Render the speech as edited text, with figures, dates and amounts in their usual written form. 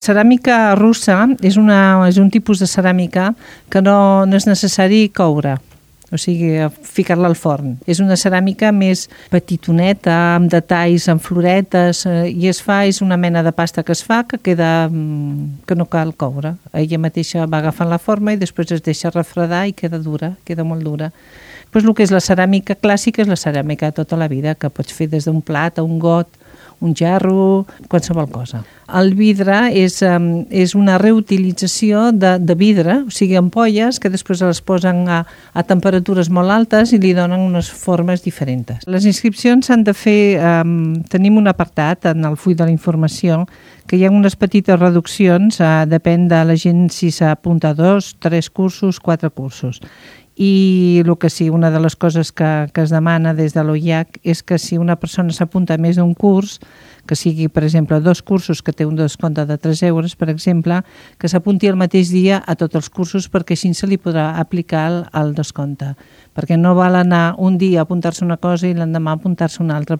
Ceràmica russa és un tipus de ceràmica que no és necessari coure, o sigui, ficar-la al forn. És una ceràmica més petitoneta, amb detalls, amb floretes, i és una mena de pasta que es fa que no cal coure. Ella mateixa va agafant la forma i després es deixa refredar i queda dura, queda molt dura. Pues el que és la ceràmica clàssica és la ceràmica de tota la vida, que pots fer des d'un plat a un got, un gerro, qualsevol cosa. El vidre és una reutilització de vidre, o sigui, ampolles que després les posen a temperatures molt altes i li donen unes formes diferents. Les inscripcions s'han de fer, tenim un apartat en el full de la informació que hi ha unes petites reduccions, depèn de la gent si s'apunta a 2, 3 cursos, 4 cursos. I el que sí, una de les coses que es demana des de l'OIAC és que si una persona s'apunta a més d'un curs, que sigui, per exemple, 2 cursos que té un descompte de 3 euros, per exemple, que s'apunti el mateix dia a tots els cursos perquè així se li podrà aplicar el descompte. Perquè no val anar un dia a apuntar-se una cosa i l'endemà a apuntar-se una altra.